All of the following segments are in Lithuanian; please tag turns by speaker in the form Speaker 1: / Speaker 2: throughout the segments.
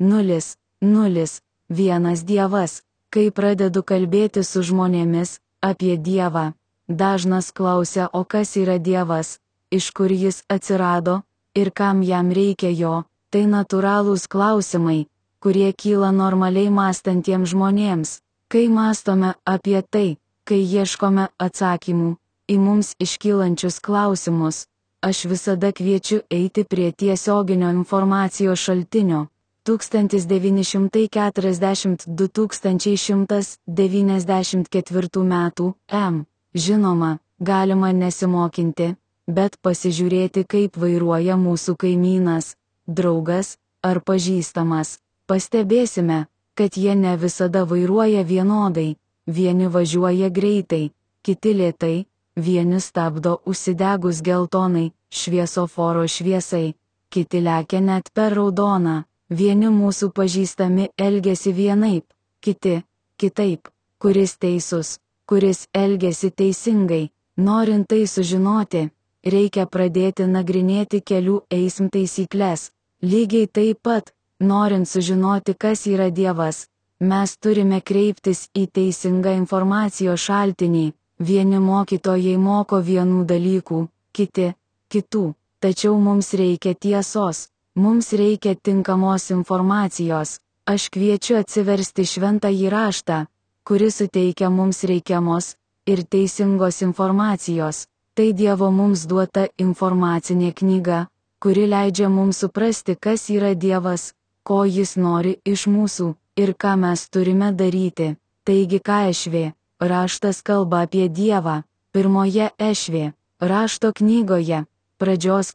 Speaker 1: Nulis, nulis, vienas Dievas. Kai pradedu kalbėti su žmonėmis apie Dievą, dažnas klausia, o kas yra Dievas, iš kur jis atsirado ir kam jam reikia jo. Tai natūralūs klausimai, kurie kyla normaliai mąstantiems žmonėms. Kai mąstome apie tai, kai ieškome atsakymų į mums iškylančius klausimus, aš visada kviečiu eiti prie tiesioginio informacijos šaltinio. 1942–2194 metų M. Žinoma, galima nesimokinti, bet pasižiūrėti, kaip vairuoja mūsų kaimynas, draugas ar pažįstamas. Pastebėsime, kad jie ne visada vairuoja vienodai. Vieni važiuoja greitai, kiti lėtai, vieni stabdo užsidegus geltonai šviesoforo šviesai, kiti lekia net per raudoną. Vieni mūsų pažįstami elgesi vienaip, kiti kitaip. Kuris teisus, kuris elgesi teisingai? Norint tai sužinoti, reikia pradėti nagrinėti kelių eismo taisyklės. Lygiai taip pat, norint sužinoti, kas yra Dievas, mes turime kreiptis į teisingą informacijos šaltinį. Vieni mokytojai moko vienų dalykų, kiti kitų. Tačiau mums reikia tiesos. Mums reikia tinkamos informacijos. Aš kviečiu atsiversti šventąjį raštą, kuris suteikia mums reikiamos ir teisingos informacijos. Tai Dievo mums duota informacinė knyga, kuri leidžia mums suprasti, kas yra Dievas, ko jis nori iš mūsų ir ką mes turime daryti. Taigi ką Ešvė raštas kalba apie Dievą? Pirmoje Ešvė rašto knygoje, pradžios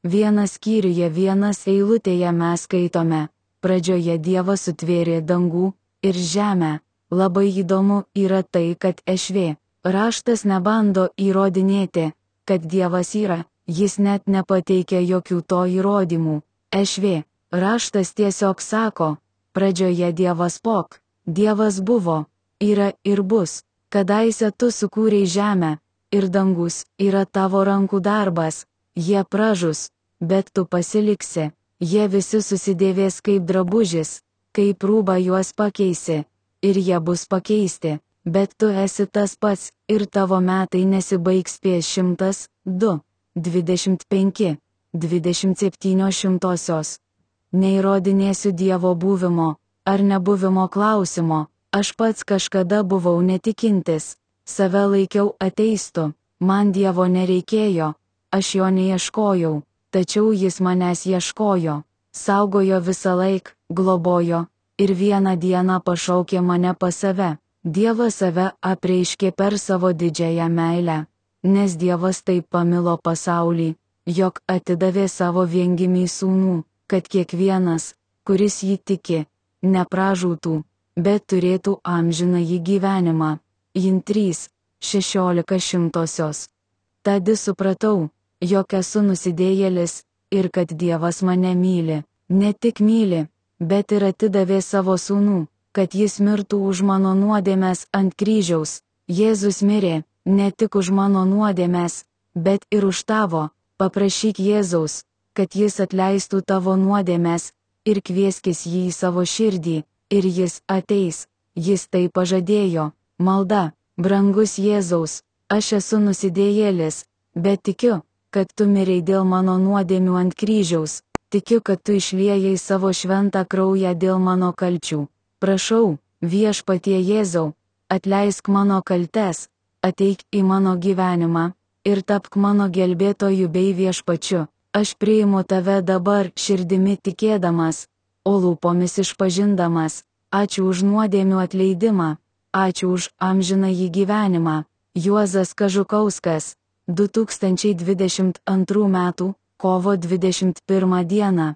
Speaker 1: vienas skyriuje, vienas eilutėje mes skaitome: pradžioje Dievas sutvėrė dangų ir žemę. Labai įdomu yra tai, kad Ešvė raštas nebando įrodinėti, kad Dievas yra, jis net nepateikia jokių to įrodymų. Ešvė raštas tiesiog sako: pradžioje Dievas Dievas buvo, yra ir bus. Kadaise tu sukūrei žemę, ir dangus yra tavo rankų darbas. Jie pražus, bet tu pasiliksi. Jie visi susidėvės kaip drabužis, kaip rūbą juos pakeisi, ir jie bus pakeisti. Bet tu esi tas pats, ir tavo metai nesibaigs prie 102, 25, 27. Neįrodinėsiu Dievo buvimo ar nebuvimo klausimo. Aš pats kažkada buvau netikintis, save laikiau ateistu, man Dievo nereikėjo. Aš jo neieškojau, tačiau jis manęs ieškojo, saugojo visą laiką, globojo, ir vieną dieną pašaukė mane pas save. Dievas save apreiškė per savo didžiąją meilę, nes Dievas taip pamilo pasaulį, jog atidavė savo viengimį sūnų, kad kiekvienas, kuris jį tiki, nepražūtų, bet turėtų amžinąjį gyvenimą. Jin 3:16. Tada supratau, jog esu nusidėjėlis ir kad Dievas mane myli. Ne tik myli, bet ir atidavė savo sūnų, kad jis mirtų už mano nuodėmes ant kryžiaus. Jėzus mirė, ne tik už mano nuodėmes, bet ir už tavo. Paprašyk Jėzaus, kad jis atleistų tavo nuodėmes, ir kvieskis jį į savo širdį, ir jis ateis. Jis tai pažadėjo. Malda: brangus Jėzaus, aš esu nusidėjėlis, bet tikiu, kad tu mirei dėl mano nuodėmių ant kryžiaus. Tikiu, kad tu išliejai savo šventą kraują dėl mano kalčių. Prašau, Viešpatie Jėzau, atleisk mano kaltes, ateik į mano gyvenimą ir tapk mano gelbėtoju bei viešpačiu. Aš priimu tave dabar širdimi tikėdamas, o lūpomis išpažindamas. Ačiū už nuodėmių atleidimą, ačiū už amžinąjį gyvenimą. Juozas Kažukauskas, 2022 m. kovo 21 d.